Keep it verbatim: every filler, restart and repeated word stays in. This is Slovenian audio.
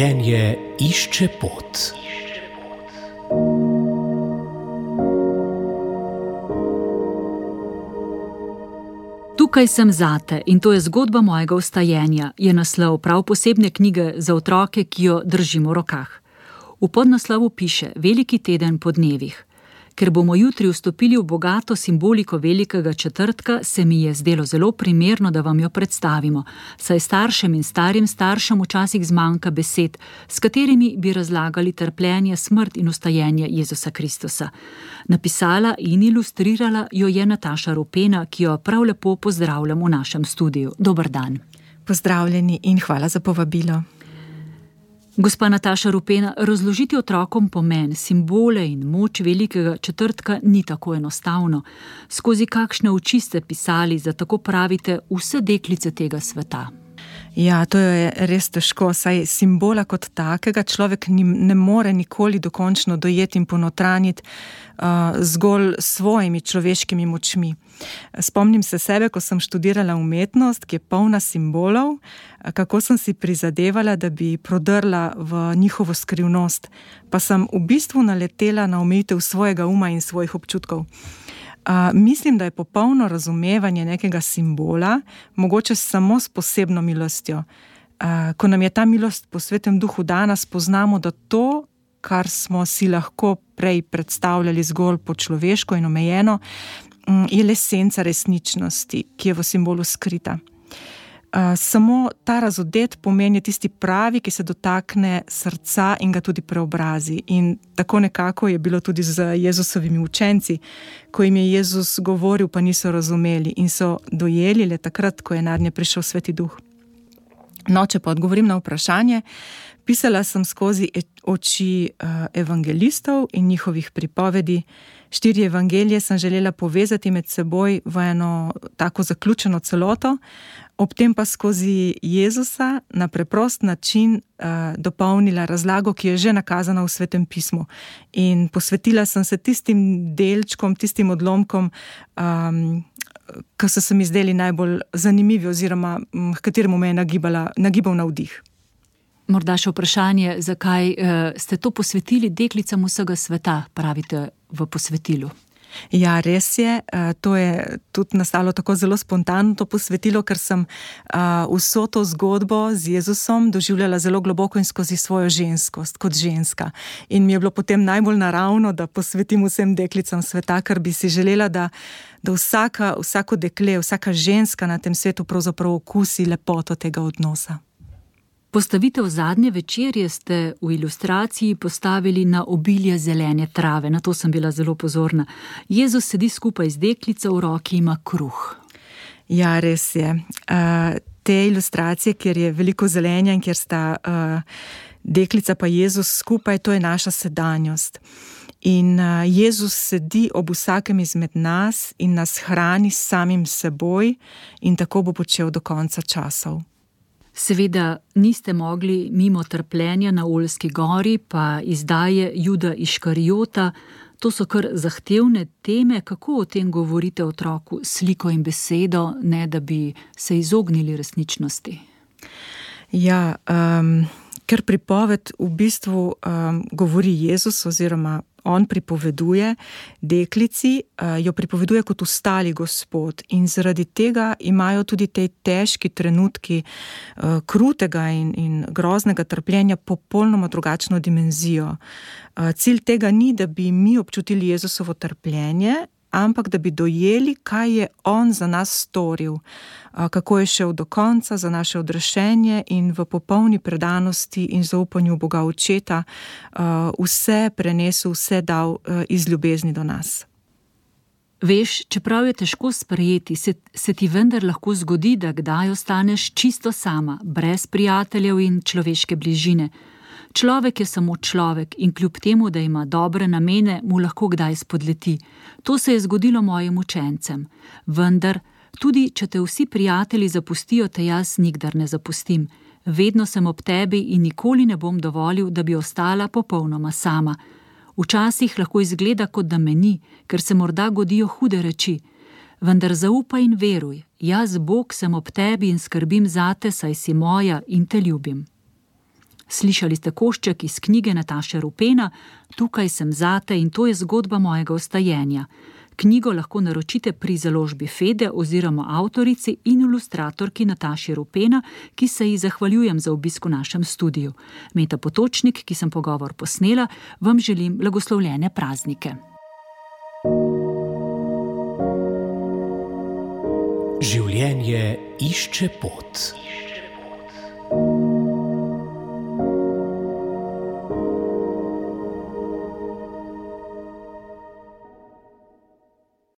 Vstajenje išče pot. Tukaj sem zate in to je zgodba mojega vstajenja, je naslov prav posebne knjige za otroke, ki jo držimo v rokah. V podnaslovu piše Veliki teden po dnevih. Ker bomo jutri vstopili v bogato simboliko velikega četrtka, se mi je zdelo zelo primerno, da vam jo predstavimo, saj staršem in starim staršem včasih zmanjka besed, s katerimi bi razlagali trpljenje, smrt in vstajenje Jezusa Kristusa. Napisala in ilustrirala jo je Nataša Rupena, ki jo prav lepo pozdravljam v našem studiu. Dober dan. Pozdravljeni in hvala za povabilo. Gospa Nataša Rupena, razložiti otrokom pomen, simbole in moč velikega četrtka ni tako enostavno. Skozi kakšne oči ste pisali za, tako pravite, vse deklice tega sveta? Ja, to je res težko, saj simbola kot takega človek ne more nikoli dokončno dojeti in ponotraniti uh, zgolj svojimi človeškimi močmi. Spomnim se sebe, ko sem študirala umetnost, ki je polna simbolov, kako sem si prizadevala, da bi prodrla v njihovo skrivnost, pa sem v bistvu naletela na omejitev svojega uma in svojih občutkov. Uh, mislim, da je popolno razumevanje nekega simbola mogoče samo s posebno milostjo. Uh, ko nam je ta milost po Svetem Duhu dana, spoznamo, da to, kar smo si lahko prej predstavljali zgolj po človeško in omejeno, um, je le senca resničnosti, ki je v simbolu skrita. Uh, samo ta razodet pomen je tisti pravi, ki se dotakne srca in ga tudi preobrazi. In tako nekako je bilo tudi z Jezusovimi učenci, ko jim je Jezus govoril, pa niso razumeli in so dojeli le takrat, ko je nadnje prišel Sveti Duh. No, če pa odgovorim na vprašanje, pisala sem skozi oči uh, evangelistov in njihovih pripovedi. Štiri evangelije sem želela povezati med seboj v eno tako zaključeno celoto, ob tem pa skozi Jezusa na preprost način uh, dopolnila razlago, ki je že nakazana v Svetem pismu. In posvetila sem se tistim delčkom, tistim odlomkom, um, ki so se mi zdeli najbolj zanimivi oziroma m, kateremu me je nagibala, nagibal navdih. Morda še vprašanje, zakaj uh, ste to posvetili deklicam vsega sveta, pravite v posvetilu? Ja, res je. To je tudi nastalo tako zelo spontano to posvetilo, ker sem vso to zgodbo z Jezusom doživljala zelo globoko in skozi svojo ženskost, kot ženska. In mi je bilo potem najbolj naravno, da posvetim vsem deklicam sveta, ker bi si želela, da, da vsaka, vsako dekle, vsaka ženska na tem svetu pravzaprav okusi lepoto tega odnosa. Postavitev zadnje večerje ste v ilustraciji postavili na obilje zelene trave, na to sem bila zelo pozorna. Jezus sedi skupaj z deklico, v roki ima kruh. Ja, res je. Uh, te ilustracije, kjer je veliko zelenja in kjer sta uh, deklica pa Jezus skupaj, to je naša sedanjost. In uh, Jezus sedi ob vsakem izmed nas in nas hrani s samim seboj in tako bo počel do konca časov. Seveda niste mogli mimo trpljenja na Oljski gori, pa izdaje Juda Iškarijota. To so kar zahtevne teme. Kako o tem govorite otroku sliko in besedo, ne da bi se izognili resničnosti? Ja, um, ker pripoved v bistvu um, govori Jezus oziroma on pripoveduje deklici, jo pripoveduje kot ustali Gospod in zaradi tega imajo tudi te težki trenutki krutega in, in groznega trpljenja popolnoma drugačno dimenzijo. Cilj tega ni, da bi mi občutili Jezusovo trpljenje, ampak da bi dojeli, kaj je on za nas storil, kako je šel do konca za naše odrešenje in v popolni predanosti in zaupanju Boga Očeta vse prenesel, vse dal iz ljubezni do nas. Veš, čeprav je težko sprejeti, se, se ti vendar lahko zgodi, da kdaj ostaneš čisto sama, brez prijateljev in človeške bližine. Človek je samo človek in kljub temu, da ima dobre namene, mu lahko kdaj spodleti. To se je zgodilo mojim učencem. Vendar, tudi če te vsi prijatelji zapustijo, te jaz nikdar ne zapustim. Vedno sem ob tebi in nikoli ne bom dovolil, da bi ostala popolnoma sama. Včasih lahko izgleda, kot da me ni, ker se morda godijo hude reči. Vendar zaupaj in veruj, jaz, Bog, sem ob tebi in skrbim zate, saj si moja in te ljubim. Slišali ste košček iz knjige Nataše Rupena Tukaj sem zate in to je zgodba mojega ostajenja. Knjigo lahko naročite pri založbi Fede oziroma avtorici in ilustratorki Nataši Rupena, ki se ji zahvaljujem za obisk v našem studiu. Meta Potočnik, ki sem pogovor posnela, vam želim blagoslovljene praznike. Življenje išče pot.